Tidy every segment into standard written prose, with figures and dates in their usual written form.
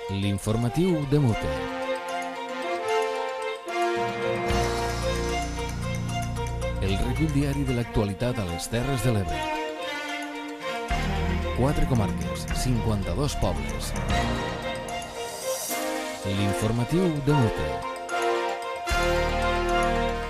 L'informatiu de Mute. El recull diari de l'actualitat a les Terres de l'Ebre. 4 comarques, 52 pobles. L'informatiu de Mute.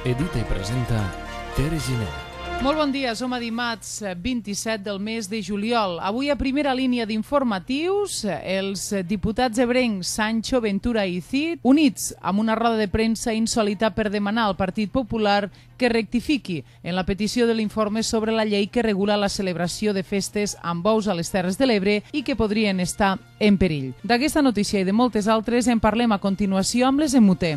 Edita i presenta Tere Giner. Molt bon dia, som a dimarts 27 del mes de juliol. Avui a primera línia d'informatius, els diputats ebrencs Sancho, Ventura i Cid, units amb una roda de premsa insòlita per demanar al Partit Popular que rectifiqui en la petició de l'informe sobre la llei que regula la celebració de festes amb bous a les Terres de l'Ebre i que podrien estar en perill. D'aquesta notícia i de moltes altres en parlem a continuació amb les en Mute.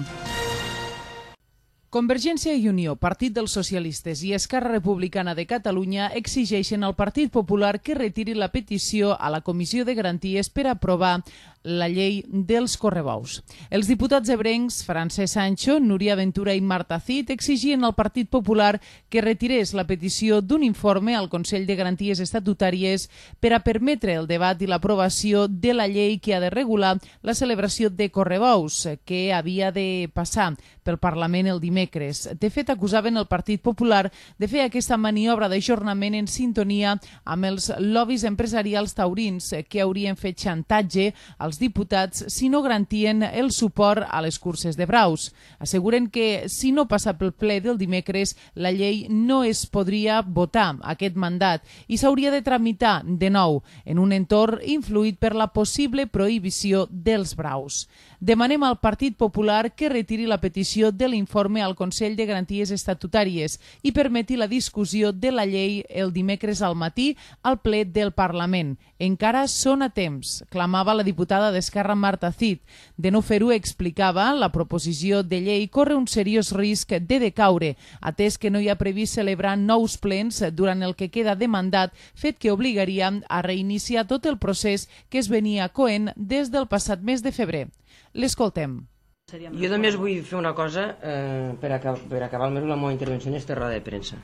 Convergència i Unió, Partit dels Socialistes i Esquerra Republicana de Catalunya exigeixen al Partit Popular que retiri la petició a la Comissió de Garanties per aprovar la llei dels correbous. Els diputats ebrencs Francesc Sancho, Núria Ventura i Marta Cid exigien al Partit Popular que retirés la petició d'un informe al Consell de Garanties Estatutàries per a permetre el debat i l'aprovació de la llei que ha de regular la celebració de correbous, que havia de passar pel Parlament el dimecres. De fet, acusaven el Partit Popular de fer aquesta maniobra d'ajornament en sintonia amb els lobbies empresarials taurins que haurien fet xantatge als diputats si no garantien el suport a les curses de braus. Asseguren que si no passa pel ple del dimecres, la llei no es podria votar aquest mandat i s'hauria de tramitar de nou en un entorn influït per la possible prohibició dels braus. Demanem al Partit Popular que retiri la petició de l'informe al Consell de Garanties Estatutàries i permeti la discussió de la llei el dimecres al matí al ple del Parlament. Encara són a temps, clamava la diputada d'Esquerra Marta Cid. De no fer-ho, explicava, la proposició de llei corre un seriós risc de decaure, atès que no hi ha previst celebrar nous plens durant el que queda de mandat, fet que obligaria a reiniciar tot el procés que es venia coent des del passat mes de febrer. L'escoltem. Jo només vull fer una cosa per acabar almenys la meva intervenció en aquesta roda de premsa.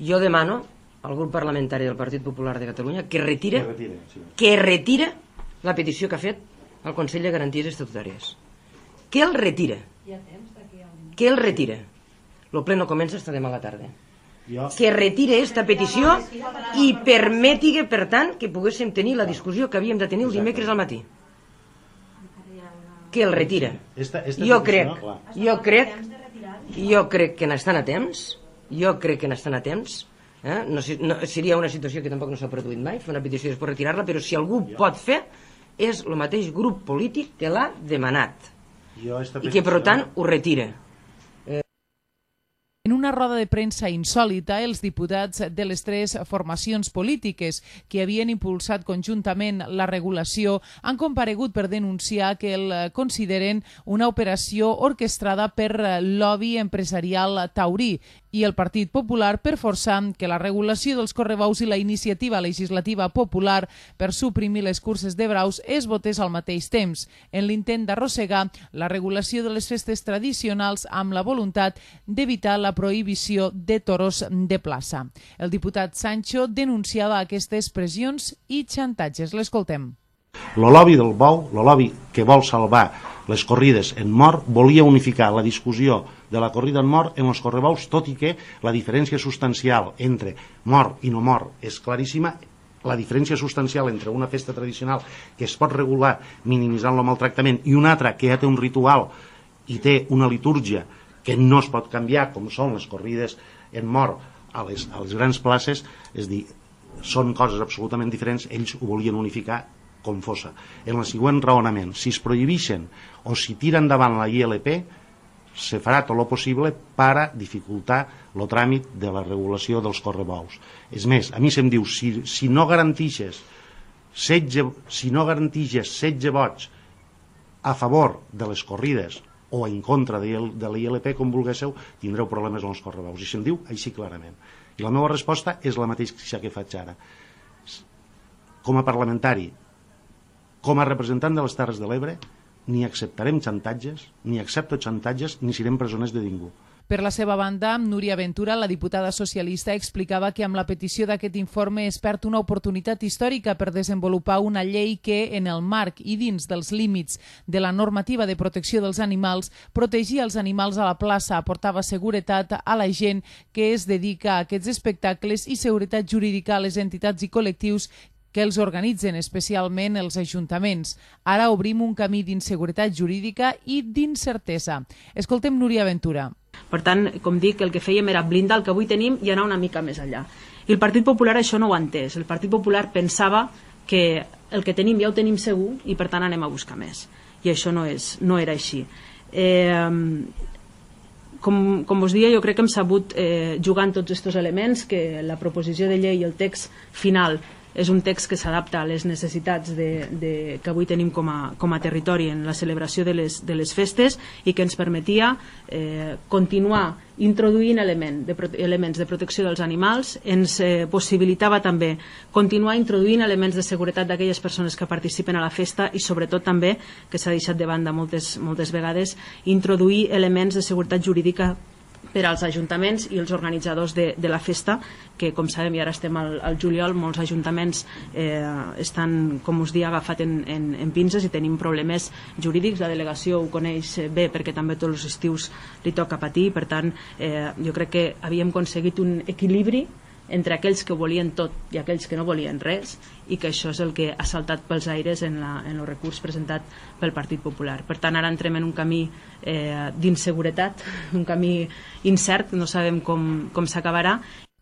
Jo demano al grup parlamentari del Partit Popular de Catalunya que retira la petició que ha fet al Consell de Garanties Estatutàries. Que el retira. Que el retira. El ple no comença fins demà a la tarda. Que retire aquesta petició i permeti, per tant, que poguéssim tenir la discussió que havíem de tenir el dimecres al matí. Que el retira. Jo crec que n'estan a temps. No, seria una situació que tampoc no s'ha produït mai, fer una petició i després retirar-la, però si algú pot fer és el mateix grup polític que l'ha demanat i que per tant ho retira. En una roda de premsa insòlita, els diputats de les 3 formacions polítiques que havien impulsat conjuntament la regulació han comparegut per denunciar que el consideren una operació orquestrada per lobby empresarial taurí i el Partit Popular per forçar que la regulació dels correbous i la iniciativa legislativa popular per suprimir les curses de braus es votés al mateix temps, en l'intent d'arrossegar la regulació de les festes tradicionals amb la voluntat d'evitar la prohibició de toros de plaça. El diputat Sancho denunciava aquestes pressions i xantatges. L'escoltem. El lobby del bou, el lobby que vol salvar les corrides en mort, volia unificar la discussió de la corrida en mort en els correbous, tot i que la diferència substancial entre mort i no mort és claríssima. La diferència substancial entre una festa tradicional que es pot regular minimitzant el maltractament i una altra que ja té un ritual i té una litúrgia que no es pot canviar, com són les corrides en mort a les grans places, és a dir, són coses absolutament diferents. Ells ho volien unificar com fossa. En el següent raonament, si es prohibeixen o si tira endavant la ILP, se farà tot el possible per a dificultar el tràmit de la regulació dels correbous. És més, a mi se'm diu, si no garantixes 16 vots a favor de les corrides o en contra de la ILP, com vulguéssiu, tindreu problemes amb els correbous. I se'm diu així clarament. I la meva resposta és la mateixa que faig ara. Com a parlamentari, com a representant de les Terres de l'Ebre, ni acceptarem xantatges, ni accepto xantatges, ni serem presoners de ningú. Per la seva banda, Núria Ventura, la diputada socialista, explicava que amb la petició d'aquest informe es perd una oportunitat històrica per desenvolupar una llei que, en el marc i dins dels límits de la normativa de protecció dels animals, protegia els animals a la plaça, aportava seguretat a la gent que es dedica a aquests espectacles i seguretat jurídica a les entitats i col·lectius que els organitzen, especialment els ajuntaments. Ara obrim un camí d'inseguretat jurídica i d'incertesa. Escoltem Núria Ventura. Per tant, com dic, el que fèiem era blindar el que avui tenim i anar una mica més enllà. I el Partit Popular això no ho ha entès. El Partit Popular pensava que el que tenim ja ho tenim segur i per tant anem a buscar més. I això no era així. Com us deia, jo crec que hem sabut jugar en tots aquests elements, que la proposició de llei i el text final és un text que s'adapta a les necessitats que avui tenim com a territori en la celebració de les festes i que ens permetia continuar introduint elements de protecció dels animals, ens possibilitava també continuar introduint elements de seguretat d'aquelles persones que participen a la festa i sobretot també, que s'ha deixat de banda moltes vegades, introduir elements de seguretat jurídica per als ajuntaments i els organitzadors de la festa, que com sabem i ara estem al juliol, molts ajuntaments estan, com us dia, agafat en pinces i tenim problemes jurídics. La delegació ho coneix bé perquè també tots els estius li toca patir, per tant jo crec que havíem aconseguit un equilibri entre aquells que volien tot i aquells que no volien res, i que això és el que ha saltat pels aires en el recurs presentat pel Partit Popular. Per tant, ara entrem en un camí d'inseguretat, un camí incert, no sabem com s'acabarà.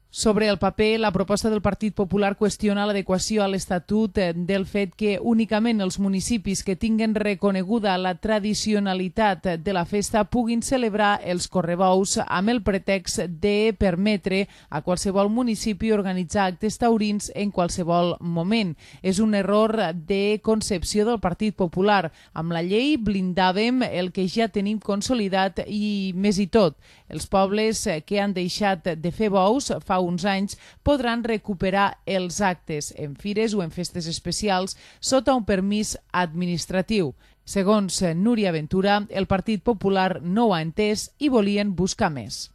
Sobre el paper, la proposta del Partit Popular qüestiona l'adequació a l'Estatut del fet que únicament els municipis que tinguen reconeguda la tradicionalitat de la festa puguin celebrar els correbous amb el pretext de permetre a qualsevol municipi organitzar actes taurins en qualsevol moment. És un error de concepció del Partit Popular. Amb la llei blindàvem el que ja tenim consolidat i més i tot. Els pobles que han deixat de fer bous fa uns anys podran recuperar els actes en fires o en festes especials sota un permís administratiu. Segons Núria Ventura, el Partit Popular no ho ha entès i volien buscar més.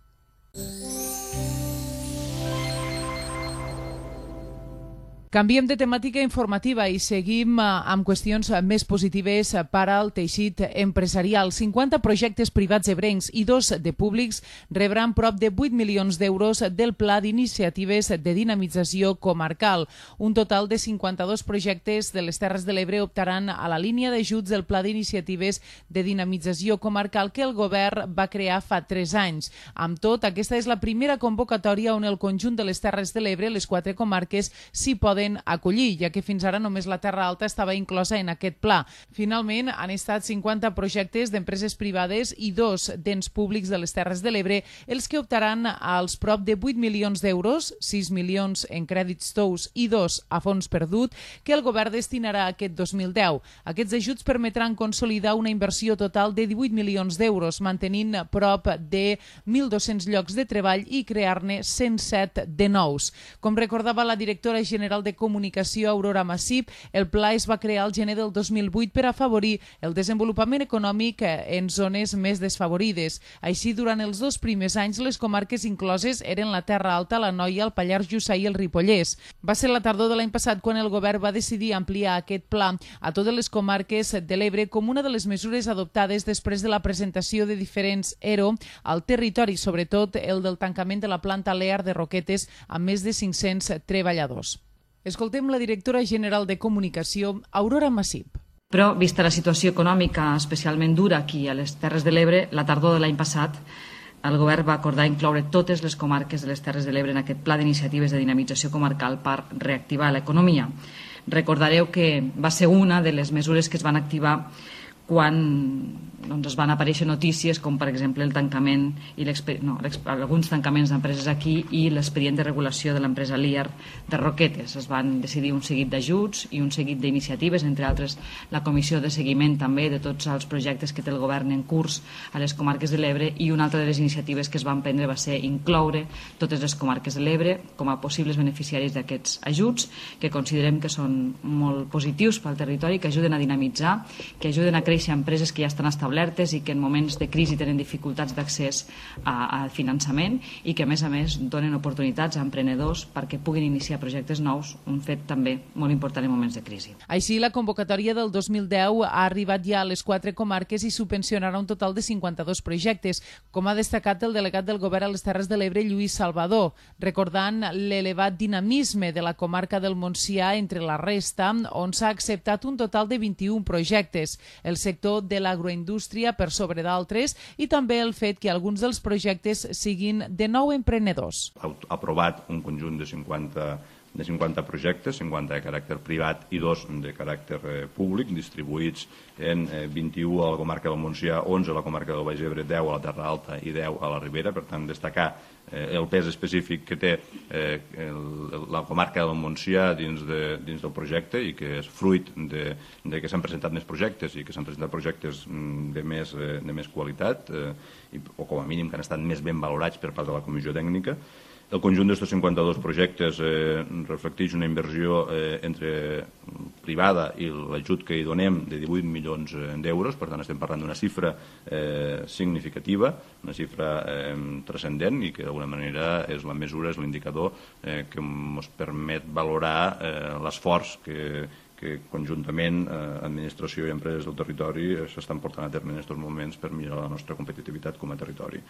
Canviem de temàtica informativa i seguim amb qüestions més positives per al teixit empresarial. 50 projectes privats ebrencs i 2 de públics rebran prop de 8 milions d'euros del Pla d'Iniciatives de Dinamització Comarcal. Un total de 52 projectes de les Terres de l'Ebre optaran a la línia d'ajuts del Pla d'Iniciatives de Dinamització Comarcal que el govern va crear fa 3 anys. Amb tot, aquesta és la primera convocatòria on el conjunt de les Terres de l'Ebre, les 4 comarques, s'hi poden acollir, ja que fins ara només la Terra Alta estava inclosa en aquest pla. Finalment, han estat 50 projectes d'empreses privades i 2 d'ens públics de les Terres de l'Ebre els que optaran als prop de 8 milions d'euros, 6 milions en crèdits tous i 2 a fons perdut, que el govern destinarà aquest 2010. Aquests ajuts permetran consolidar una inversió total de 18 milions d'euros, mantenint prop de 1.200 llocs de treball i crear-ne 107 de nous. Com recordava la directora general de Comunicació, Aurora Massip, el pla es va crear al gener del 2008 per afavorir el desenvolupament econòmic en zones més desfavorides. Així, durant els 2 primers anys, les comarques incloses eren la Terra Alta, la Noia, el Pallars Jussà i el Ripollès. Va ser la tardor de l'any passat quan el govern va decidir ampliar aquest pla a totes les comarques de l'Ebre com una de les mesures adoptades després de la presentació de diferents ERO al territori, sobretot el del tancament de la planta Lear de Roquetes amb més de 500 treballadors. Escoltem la directora general de Comunicació, Aurora Massip. Però, vista la situació econòmica especialment dura aquí a les Terres de l'Ebre, la tardor de l'any passat, el govern va acordar incloure totes les comarques de les Terres de l'Ebre en aquest pla d'iniciatives de dinamització comarcal per reactivar l'economia. Recordareu que va ser una de les mesures que es van activar quan es van aparèixer notícies com per exemple el tancament i alguns tancaments d'empreses aquí i l'expedient de regulació de l'empresa Lear de Roquetes. Es van decidir un seguit d'ajuts i un seguit d'iniciatives, entre altres la comissió de seguiment també de tots els projectes que té el govern en curs a les comarques de l'Ebre, i una altra de les iniciatives que es van prendre va ser incloure totes les comarques de l'Ebre com a possibles beneficiaris d'aquests ajuts, que considerem que són molt positius pel territori, que ajuden a dinamitzar, que ajuden a créixer favoreixi a empreses que ja estan establertes i que en moments de crisi tenen dificultats d'accés al finançament i que a més donen oportunitats a emprenedors perquè puguin iniciar projectes nous, un fet també molt important en moments de crisi. Així, la convocatòria del 2010 ha arribat ja a les 4 comarques i subvencionarà un total de 52 projectes, com ha destacat el delegat del Govern a les Terres de l'Ebre, Lluís Salvador, recordant l'elevat dinamisme de la comarca del Montsià entre la resta, on s'ha acceptat un total de 21 projectes, el sector de l'agroindústria per sobre d'altres i també el fet que alguns dels projectes siguin de nou emprenedors. Ha aprovat un conjunt de 50 projectes, 50 de caràcter privat i 2 de caràcter públic, distribuïts en 21 a la comarca del Montsià, 11 a la comarca del Baix Ebre, 10 a la Terra Alta i 10 a la Ribera. Per tant, destacar el pes específic que té la comarca del Montsià dins del projecte i que és fruit de que s'han presentat més projectes i que s'han presentat projectes de més qualitat o com a mínim que han estat més ben valorats per part de la Comissió Tècnica. El conjunt d'aquests 52 projectes reflecteix una inversió entre privada i l'ajut que hi donem de 18 milions d'euros, per tant estem parlant d'una xifra significativa, una xifra transcendent i que d'alguna manera és la mesura, és l'indicador que ens permet valorar l'esforç que conjuntament administració i empreses del territori s'estan portant a terme en aquests moments per millorar la nostra competitivitat com a territori.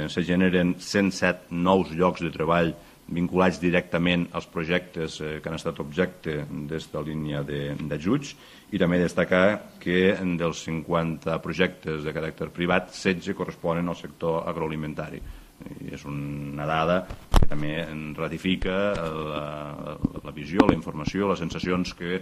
Se generen 107 nous llocs de treball vinculats directament als projectes que han estat objecte d'esta línia d'ajuts i també destacar que dels 50 projectes de caràcter privat, 16 corresponen al sector agroalimentari. I és una dada que també ratifica la visió, la informació, les sensacions que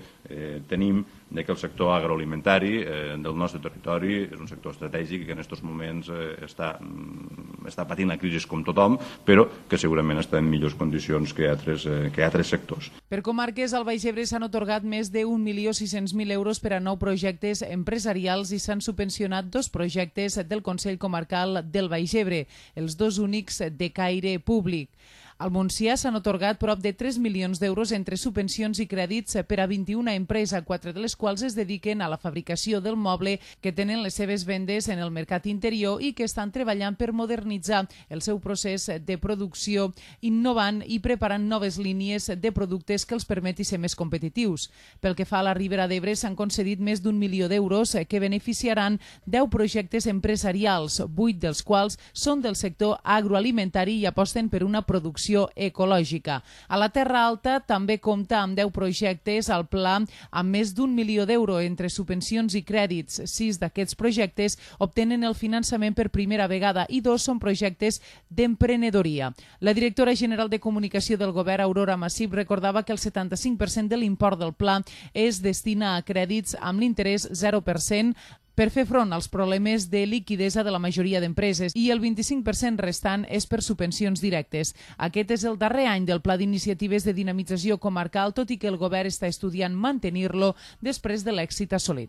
tenim de que el sector agroalimentari del nostre territori és un sector estratègic i que en aquests moments està patint la crisi com tothom, però que segurament està en millors condicions que altres sectors. Per comarques, al Baix Ebre s'han atorgat més de 1.600.000 euros per a 9 projectes empresarials i s'han subvencionat 2 projectes del Consell Comarcal del Baix Ebre, els 2 únics de caire públic. Al Montsià s'han atorgat prop de 3 milions d'euros entre subvencions i crèdits per a 21 empreses, 4 de les quals es dediquen a la fabricació del moble que tenen les seves vendes en el mercat interior i que estan treballant per modernitzar el seu procés de producció, innovant i preparant noves línies de productes que els permeti ser més competitius. Pel que fa a la Ribera d'Ebre, s'han concedit més d'1 milió d'euros que beneficiaran 10 projectes empresarials, 8 dels quals són del sector agroalimentari i aposten per una producció ecològica. A la Terra Alta també compta amb 10 projectes al pla amb més d'1 milió d'euros entre subvencions i crèdits. 6 d'aquests projectes obtenen el finançament per primera vegada i 2 són projectes d'emprenedoria. La directora general de comunicació del Govern, Aurora Massip, recordava que el 75% de l'import del pla es destina a crèdits amb l'interès 0% per fer front als problemes de liquidesa de la majoria d'empreses i el 25% restant és per subvencions directes. Aquest és el darrer any del Pla d'Iniciatives de Dinamització Comarcal, tot i que el Govern està estudiant mantenir-lo després de l'èxit assolit.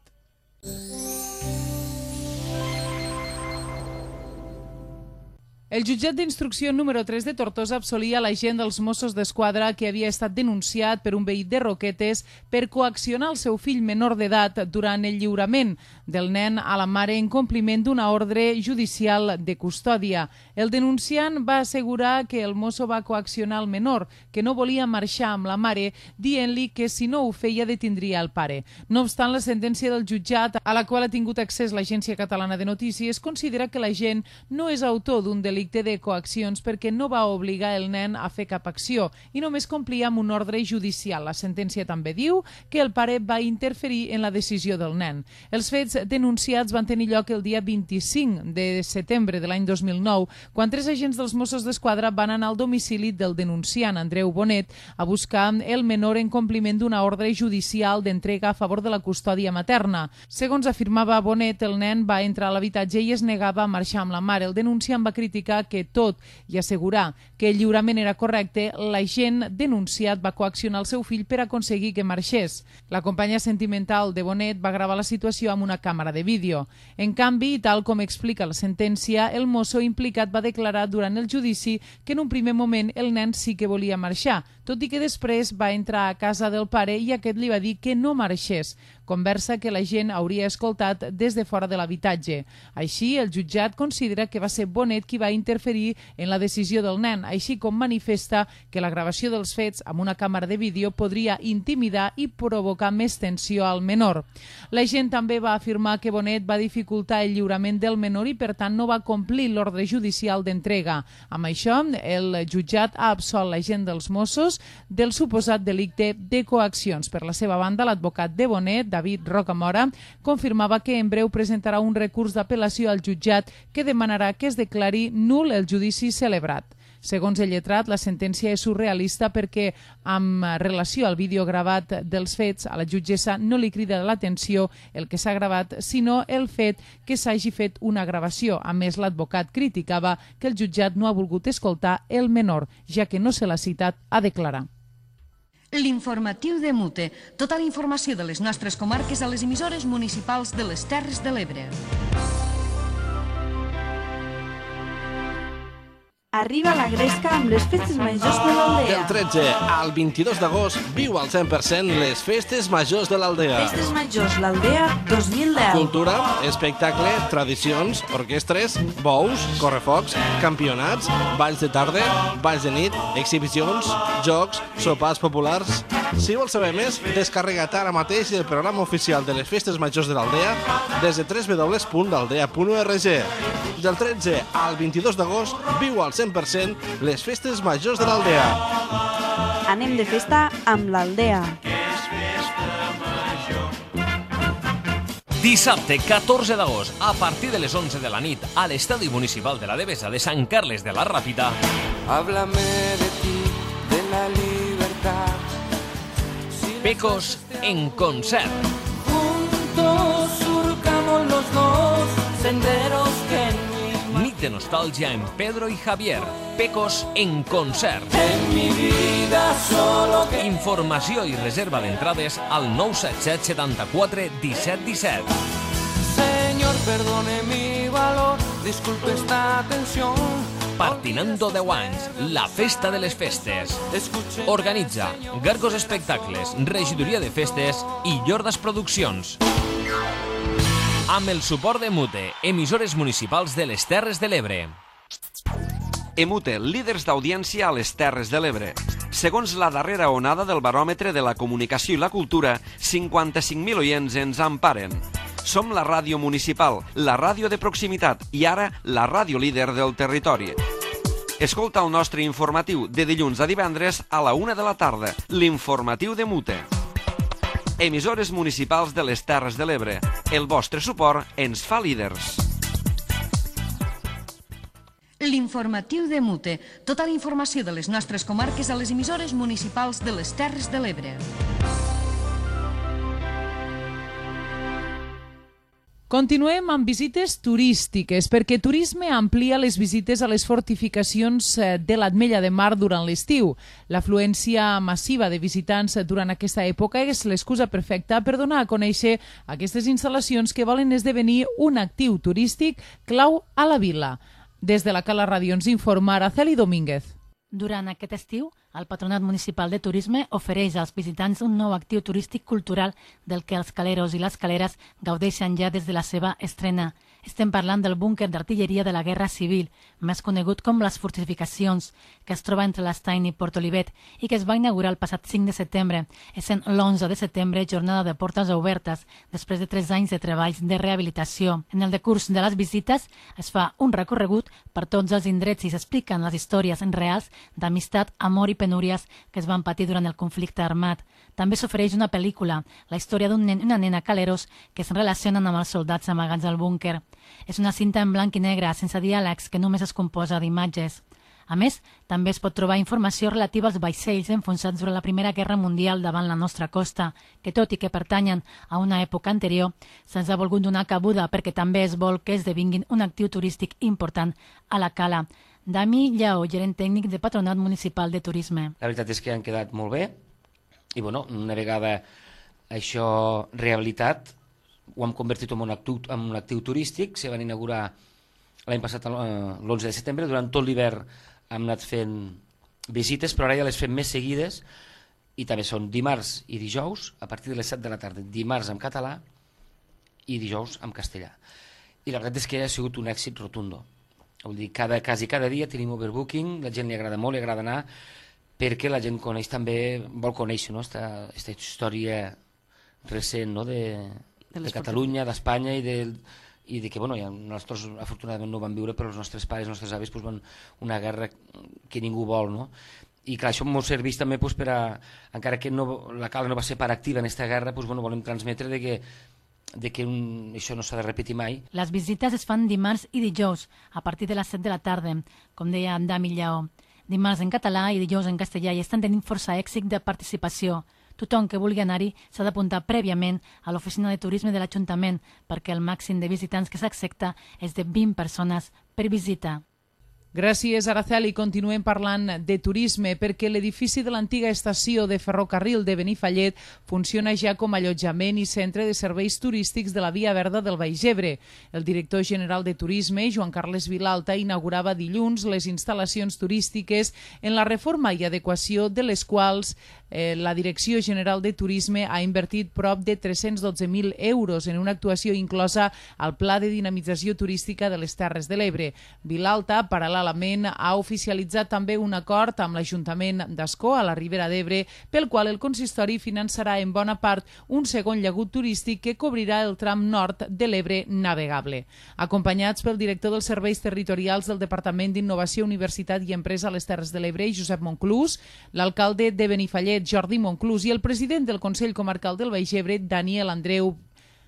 El jutjat d'instrucció número 3 de Tortosa absolia l'agent dels Mossos d'Esquadra que havia estat denunciat per un veí de Roquetes per coaccionar el seu fill menor d'edat durant el lliurament del nen a la mare en compliment d'una ordre judicial de custòdia. El denunciant va assegurar que el mosso va coaccionar el menor, que no volia marxar amb la mare, dient-li que si no ho feia detindria el pare. No obstant, la sentència del jutjat, a la qual ha tingut accés l'Agència Catalana de Notícies, considera que l'agent no és autor d'un delicte de coaccions perquè no va obligar el nen a fer cap acció i només complia amb un ordre judicial. La sentència també diu que el pare va interferir en la decisió del nen. Els fets denunciats van tenir lloc el dia 25 de setembre de l'any 2009, quan 3 agents dels Mossos d'Esquadra van anar al domicili del denunciant, Andreu Bonet, a buscar el menor en compliment d'una ordre judicial d'entrega a favor de la custòdia materna. Segons afirmava Bonet, el nen va entrar a l'habitatge i es negava a marxar amb la mare. El denunciant va criticar que tot i assegurar que el lliurament era correcte, l'agent denunciat va coaccionar el seu fill per aconseguir que marxés. La companya sentimental de Bonet va gravar la situació amb una càmera de vídeo. En canvi, tal com explica la sentència, el mosso implicat va declarar durant el judici que en un primer moment el nen sí que volia marxar, tot i que després va entrar a casa del pare i aquest li va dir que no marxés, conversa que la gent hauria escoltat des de fora de l'habitatge. Així, el jutjat considera que va ser Bonet qui va interferir en la decisió del nen, així com manifesta que la gravació dels fets amb una càmera de vídeo podria intimidar i provocar més tensió al menor. La gent també va afirmar que Bonet va dificultar el lliurament del menor i, per tant, no va complir l'ordre judicial d'entrega. Amb això, el jutjat ha absolt l'agent dels Mossos del suposat delicte de coaccions. Per la seva banda, l'advocat de Bonet, David Rocamora, confirmava que en breu presentarà un recurs d'apel·lació al jutjat que demanarà que es declari nul el judici celebrat. Segons el lletrat, la sentència és surrealista perquè, amb relació al vídeo gravat dels fets, a la jutgessa no li crida l'atenció el que s'ha gravat, sinó el fet que s'hagi fet una gravació. A més, l'advocat criticava que el jutjat no ha volgut escoltar el menor, ja que no se l'ha citat a declarar. L'informatiu de Mute. Tota la informació de les nostres comarques a les emissores municipals de les Terres de l'Ebre. Arriba la gresca amb les festes majors de l'Aldea. Del 13 al 22 d'agost viu al 100% les festes majors de l'Aldea. Festes majors l'Aldea 2010. Cultura, espectacle, tradicions, orquestres, bous, correfocs, campionats, balls de tarda, balls de nit, exhibicions, jocs, sopars populars. Si vols saber més, descarrega't ara mateix el programa oficial de les festes majors de l'Aldea des de www.aldea.org. Del 13 al 22 d'agost viu al 100% les festes majors de l'Aldea. Anem de festa amb l'Aldea. Dissabte 14 d'agost, a partir de les 11 de la nit, a l'Estadi Municipal de la Devesa de Sant Carles de la Ràpita. Háblame de ti, de la libertad. Pecos en concert. Juntos surcamos los dos senderos que Nit de nostàlgia en Pedro y Javier. Pecos en concert. En mi vida solo que... Informació i reserva d'entrades al 977 74 17 17. Señor, perdone mi valor, disculpe esta tensión. Partinando 10 anys, la festa de les festes. Organitza Gargos Espectacles, Regidoria de Festes i Llordas Produccions. Amb el suport de Mute, emissores municipals de les Terres de l'Ebre. Emute, líders d'audiència a les Terres de l'Ebre. Segons la darrera onada del baròmetre de la comunicació i la cultura, 55.000 oients ens emparen. Som la ràdio municipal, la ràdio de proximitat i ara la ràdio líder del territori. Escolta el nostre informatiu de dilluns a divendres a la 1 de la tarda, l'informatiu de Mute. Emissores municipals de les Terres de l'Ebre. El vostre suport ens fa líders. L'informatiu de Mute. Tota la informació de les nostres comarques a les emissores municipals de les Terres de l'Ebre. Continuem amb visites turístiques, perquè Turisme amplia les visites a les fortificacions de l'Ametlla de Mar durant l'estiu. L'afluència massiva de visitants durant aquesta època és l'excusa perfecta per donar a conèixer aquestes instal·lacions que volen esdevenir un actiu turístic clau a la vila. Des de la Cala Ràdio ens informa Araceli Domínguez. Durant aquest estiu, el Patronat Municipal de Turisme ofereix als visitants un nou actiu turístic cultural del que els caleros i les caleres gaudeixen ja des de la seva estrena. Estem parlant del búnquer d'artilleria de la Guerra Civil, més conegut com les Fortificacions, que es troba entre l'Estany i Port Olivet i que es va inaugurar el passat 5 de setembre, essent l'11 de setembre jornada de portes obertes, després de 3 anys de treballs de rehabilitació. En el decurs de les visites es fa un recorregut per tots els indrets i s'expliquen les històries reals d'amistat, amor i penúries que es van patir durant el conflicte armat. També s'ofereix una pel·lícula, la història d'un nen i una nena caleros que es relacionen amb els soldats amagats al búnquer. És una cinta en blanc i negre, sense diàlegs, que només es composa d'imatges. A més, també es pot trobar informació relativa als vaixells enfonsats durant la Primera Guerra Mundial davant la nostra costa, que tot i que pertanyen a una època anterior, se'ns ha volgut donar cabuda perquè també es vol que esdevinguin un actiu turístic important a la cala. Dami Lleó, gerent tècnic de Patronat Municipal de Turisme. La veritat és que han quedat molt bé i bueno, una vegada això rehabilitat ho hem convertit en un actiu turístic. Se van inaugurar l'any passat l'11 de setembre. Durant tot l'hivern hem anat fent visites, però ara ja les fem més seguides, i també són dimarts i dijous, a partir de les 7 de la tarda, dimarts en català i dijous en castellà. I la veritat és que ha sigut un èxit rotundo. Vull dir, quasi cada dia tenim overbooking, la gent li agrada molt, li agrada anar, perquè la gent coneix també, vol conèixer aquesta història recent de Catalunya, d'Espanya i de que, bueno, nosaltres afortunadament no ho vam viure, però els nostres pares, els nostres avis, van una guerra que ningú vol, no? I clar, això ens serveix també per a, encara que la Cala no va ser part activa en aquesta guerra, volem transmetre de que això no s'ha de repetir mai. Les visites es fan dimarts i dijous, a partir de les 7 de la tarda, com deia en Dami Lleó. Dimarts en català i dijous en castellà, i estan tenint força èxit de participació. Tothom que vulgui anar-hi s'ha d'apuntar prèviament a l'oficina de turisme de l'Ajuntament, perquè el màxim de visitants que s'accepta és de 20 persones per visita. Gràcies, Araceli. Continuem parlant de turisme perquè l'edifici de l'antiga estació de ferrocarril de Benifallet funciona ja com a allotjament i centre de serveis turístics de la Via Verda del Baix Ebre. El director general de Turisme, Joan Carles Vilalta, inaugurava dilluns les instal·lacions turístiques en la reforma i adequació de les quals la Direcció General de Turisme ha invertit prop de 312.000 euros en una actuació inclosa al Pla de Dinamització Turística de les Terres de l'Ebre. Vilalta, paral·lelament, ha oficialitzat també un acord amb l'Ajuntament d'Ascó, a la Ribera d'Ebre, pel qual el consistori finançarà en bona part un segon llagut turístic que cobrirà el tram nord de l'Ebre navegable. Acompanyats pel director dels Serveis Territorials del Departament d'Innovació, Universitat i Empresa a les Terres de l'Ebre, Josep Monclús, l'alcalde de Benifallet, Jordi Monclús, i el president del Consell Comarcal del Baix Ebre, Daniel Andreu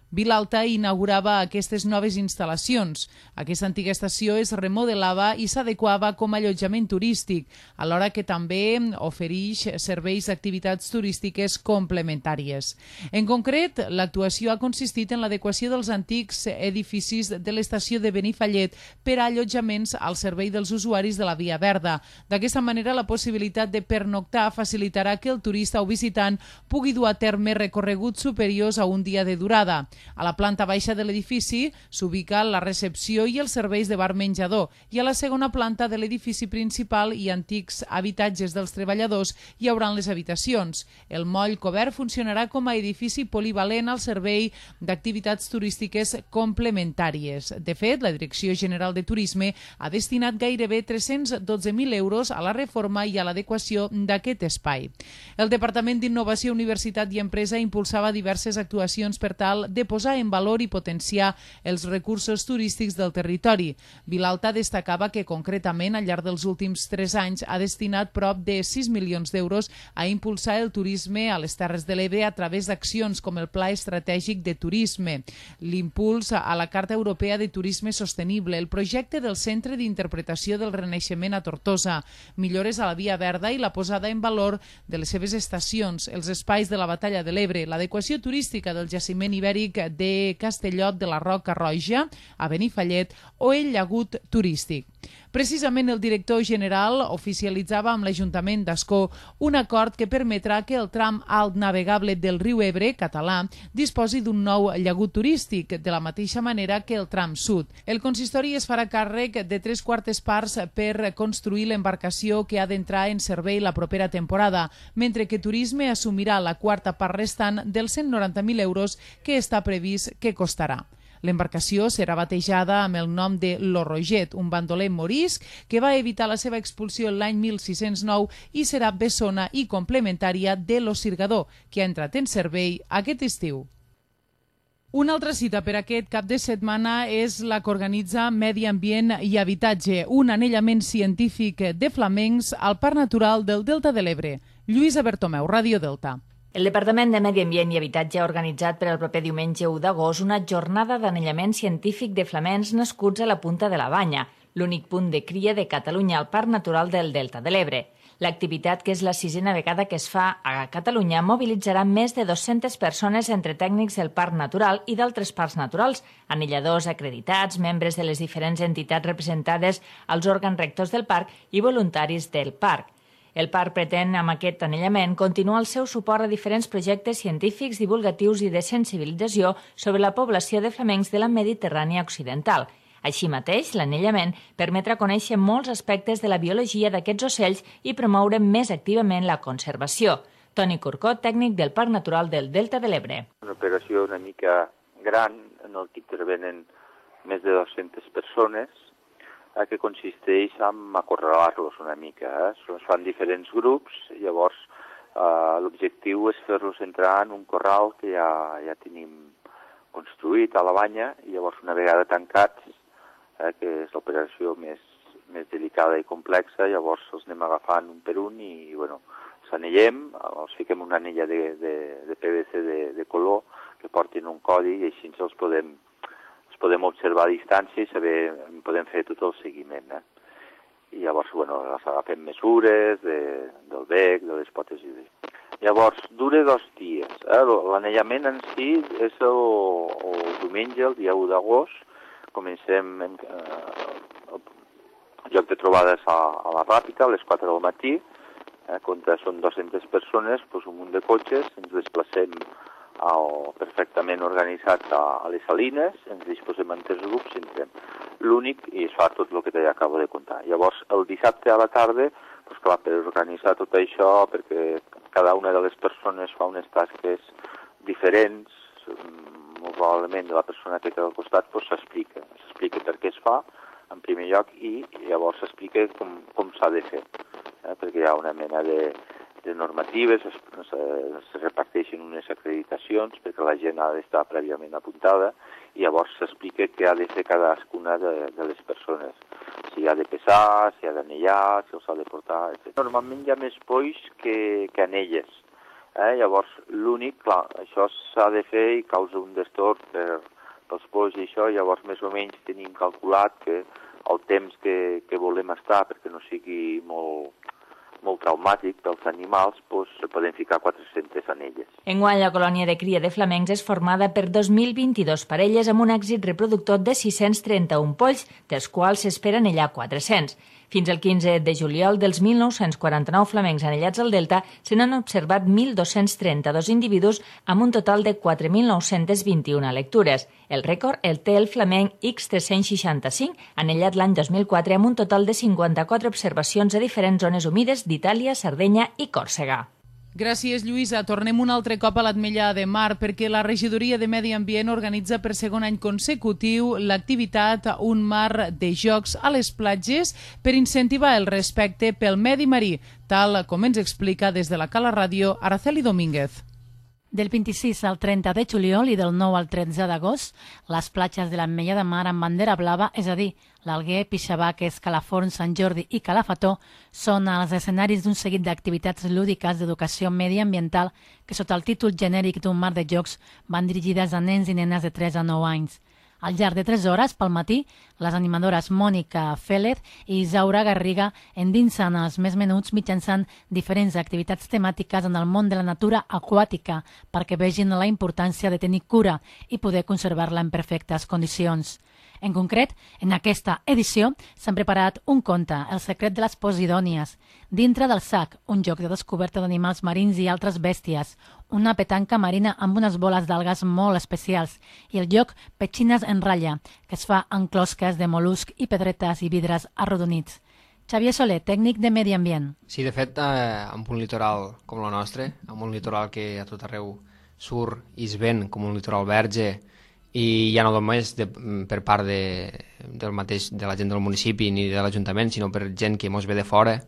Vilalta, inaugurava aquestes noves instal·lacions. Aquesta antiga estació es remodelava i s'adequava com a allotjament turístic, alhora que també ofereix serveis d'activitats turístiques complementàries. En concret, l'actuació ha consistit en l'adequació dels antics edificis de l'estació de Benifallet per a allotjaments al servei dels usuaris de la Via Verda. D'aquesta manera, la possibilitat de pernoctar facilitarà que el turista o visitant pugui dur a terme recorreguts superiors a un dia de durada. A la planta baixa de l'edifici s'ubica la recepció i els serveis de bar-menjador, i a la segona planta de l'edifici principal i antics habitatges dels treballadors hi hauran les habitacions. El moll cobert funcionarà com a edifici polivalent al servei d'activitats turístiques complementàries. De fet, la Direcció General de Turisme ha destinat gairebé 312.000 euros a la reforma i a l'adequació d'aquest espai. El Departament d'Innovació, Universitat i Empresa impulsava diverses actuacions per tal de posar en valor i potenciar els recursos turístics del territori. Vilalta destacava que concretament al llarg dels últims 3 anys ha destinat prop de 6 milions d'euros a impulsar el turisme a les Terres de l'Ebre a través d'accions com el Pla Estratègic de Turisme, l'impuls a la Carta Europea de Turisme Sostenible, el projecte del Centre d'Interpretació del Renaixement a Tortosa, millores a la Via Verda i la posada en valor de les seves estacions, els espais de la Batalla de l'Ebre, l'adequació turística del jaciment ibèric de Castellot de la Roca Roja a Benifallet o el llagut turístic. Precisament el director general oficialitzava amb l'Ajuntament d'Ascó un acord que permetrà que el tram alt navegable del riu Ebre, català, disposi d'un nou llagut turístic, de la mateixa manera que el tram sud. El consistori es farà càrrec de 3/4 parts per construir l'embarcació que ha d'entrar en servei la propera temporada, mentre que Turisme assumirà la 4ª part restant dels 190.000 euros que està previst que costarà. L'embarcació serà batejada amb el nom de Lo Roget, un bandoler morisc que va evitar la seva expulsió l'any 1609 i serà bessona i complementària de Lo Sirgador, que ha entrat en servei aquest estiu. Una altra cita per aquest cap de setmana és la que organitza Medi Ambient i Habitatge, un anellament científic de flamencs al Parc Natural del Delta de l'Ebre. Lluïsa Bertomeu, Ràdio Delta. El Departament de Medi Ambient i Habitatge ha organitzat per al proper diumenge 1 d'agost una jornada d'anellament científic de flamencs nascuts a la Punta de la Banya, l'únic punt de cria de Catalunya al Parc Natural del Delta de l'Ebre. L'activitat, que és la 6a vegada que es fa a Catalunya, mobilitzarà més de 200 persones entre tècnics del Parc Natural i d'altres parcs naturals, anelladors acreditats, membres de les diferents entitats representades als òrgans rectors del parc i voluntaris del parc. El parc pretén, amb aquest anellament, continuar el seu suport a diferents projectes científics, divulgatius i de sensibilització sobre la població de flamencs de la Mediterrània occidental. Així mateix, l'anellament permetrà conèixer molts aspectes de la biologia d'aquests ocells i promoure més activament la conservació. Toni Corcó, tècnic del Parc Natural del Delta de l'Ebre. Una operació una mica gran en el que intervenen més de 200 persones, que consisteix en acorralar-los una mica. Es fan diferents grups, llavors l'objectiu és fer-los entrar en un corral que ja tenim construït a la banya, i llavors una vegada tancats, que és l'operació més delicada i complexa, llavors els anem agafant un per un i s'anellem, els fiquem una anella de PVC de color que portin un codi i així els podem observar a distància i podem fer tot el seguiment. I llavors agafem mesures del bec, de les potes i llavors dura 2 dies. L'anellament en si és el diumenge, el dia 1 d'agost. Comencem el lloc de trobades a la Ràpita, a les 4 del matí. Quan són 200 persones, un munt de cotxes, ens desplacem perfectament organitzats a les salines, ens disposem en 3 grups i entrem. L'únic, i es fa tot el que t'acabo de contar. Llavors, el dissabte a la tarda, per organitzar tot això, perquè cada una de les persones fa unes tasques diferents, molt probablement la persona que té al costat s'explica per què es fa, en primer lloc, i llavors s'explica com s'ha de fer, perquè hi ha una mena de normatives, es reparteixen unes acreditacions perquè la gent ha d'estar prèviament apuntada, i llavors s'explica què ha de fer cadascuna de les persones, si ha de pesar, si ha d'anellar, si els ha de portar, etc. Normalment hi ha més polls que anelles, llavors l'únic, clar, això s'ha de fer i causa un destorb pels polls i això, llavors més o menys tenim calculat que el temps que volem estar, perquè no sigui molt traumàtic pels animals, podem ficar 400 anelles. Enguany, la colònia de cria de flamencs és formada per 2.022 parelles amb un èxit reproductor de 631 polls, dels quals s'espera anellar 400. Fins al 15 de juliol, dels 1.949 flamencs anellats al Delta, se n'han observat 1.232 individus amb un total de 4.921 lectures. El rècord el té el flamenc X365, anellat l'any 2004 amb un total de 54 observacions a diferents zones humides d'Itàlia, Sardenya i Còrsega. Gràcies, Lluïsa. Tornem un altre cop a l'Ametlla de Mar perquè la Regidoria de Medi Ambient organitza per segon any consecutiu l'activitat Un mar de jocs a les platges per incentivar el respecte pel medi marí, tal com ens explica des de la Cala Ràdio Araceli Domínguez. Del 26 al 30 de juliol i del 9 al 13 d'agost, les platges de l'Ametlla de Mar amb bandera blava, és a dir, l'Alguer, Pixabaques, Calaforns, Sant Jordi i Calafató, són els escenaris d'un seguit d'activitats lúdiques d'educació mediambiental que sota el títol genèric d'un mar de jocs van dirigides a nens i nenes de 3 a 9 anys. Al llarg de 3 hores, pel matí, les animadores Mònica Félez i Isaura Garriga endinsen els més menuts mitjançant diferents activitats temàtiques en el món de la natura aquàtica perquè vegin la importància de tenir cura i poder conservar-la en perfectes condicions. En concret, en aquesta edició s'han preparat un conte, El secret de les Posidònies, Dintre del sac, un joc de descoberta d'animals marins i altres bèsties, una petanca marina amb unes boles d'algues molt especials i el joc Petxines en ratlla, que es fa en closques de mol·lusc i pedretes i vidres arrodonits. Xavier Soler, tècnic de Medi Ambient. Sí, de fet, amb un litoral com el nostre, amb un litoral que a tot arreu surt i es ven com un litoral verge, i ja no només per part de la gent del municipi ni de l'Ajuntament, sinó per gent que mos ve de fora,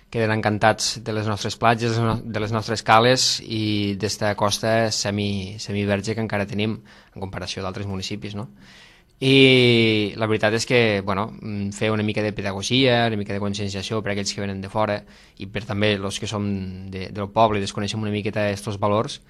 queden encantats de les nostres platges, de les nostres cales i d'esta costa semiverge que encara tenim en comparació d'altres municipis, no? I la veritat és que fer una mica de pedagogia, una mica de conscienciació per a aquells que venen de fora i per també els que som del poble i desconeixem una miqueta aquests valors,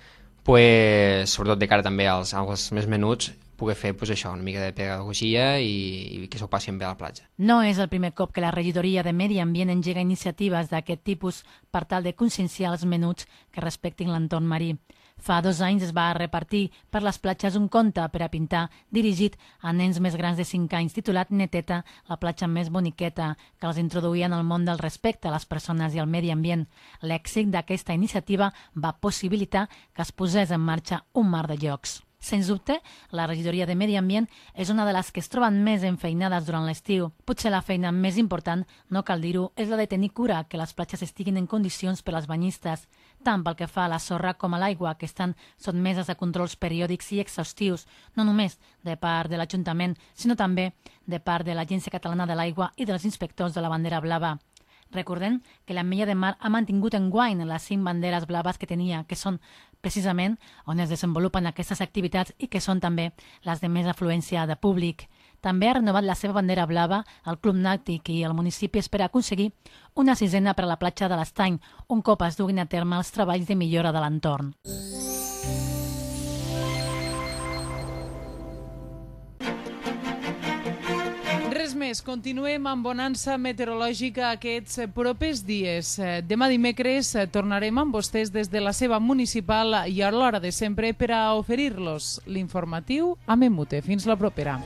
sobretot de cara també als més menuts, poder fer això, una mica de pedagogia i que s'ho passin bé a la platja. No és el primer cop que la Regidoria de Medi Ambient engega iniciatives d'aquest tipus per tal de conscienciar els menuts que respectin l'entorn marí. Fa 2 anys es va repartir per les platges un conte per a pintar dirigit a nens més grans de 5 anys titulat Neteta, la platja més boniqueta, que els introduïa en el món del respecte a les persones i al medi ambient. L'èxit d'aquesta iniciativa va possibilitar que es posés en marxa un mar de jocs. Sens dubte, la regidoria de Medi Ambient és una de les que es troben més enfeinades durant l'estiu. Potser la feina més important, no cal dir-ho, és la de tenir cura que les platges estiguin en condicions per als banyistes, tant pel que fa a la sorra com a l'aigua, que estan sotmeses a controls periòdics i exhaustius, no només de part de l'Ajuntament, sinó també de part de l'Agència Catalana de l'Aigua i dels inspectors de la bandera blava. Recordem que l'Ametlla de Mar ha mantingut enguany les 5 banderes blaves que tenia, que són precisament on es desenvolupen aquestes activitats i que són també les de més afluència de públic. També ha renovat la seva bandera blava el Club Nàutic i el municipi espera aconseguir una 6a per a la platja de l'Estany, un cop es duguin a terme els treballs de millora de l'entorn. Res més, continuem amb bonança meteorològica aquests propers dies. Demà dimecres tornarem amb vostès des de la seva municipal i a l'hora de sempre per a oferir-los l'informatiu a Memute. Fins la propera.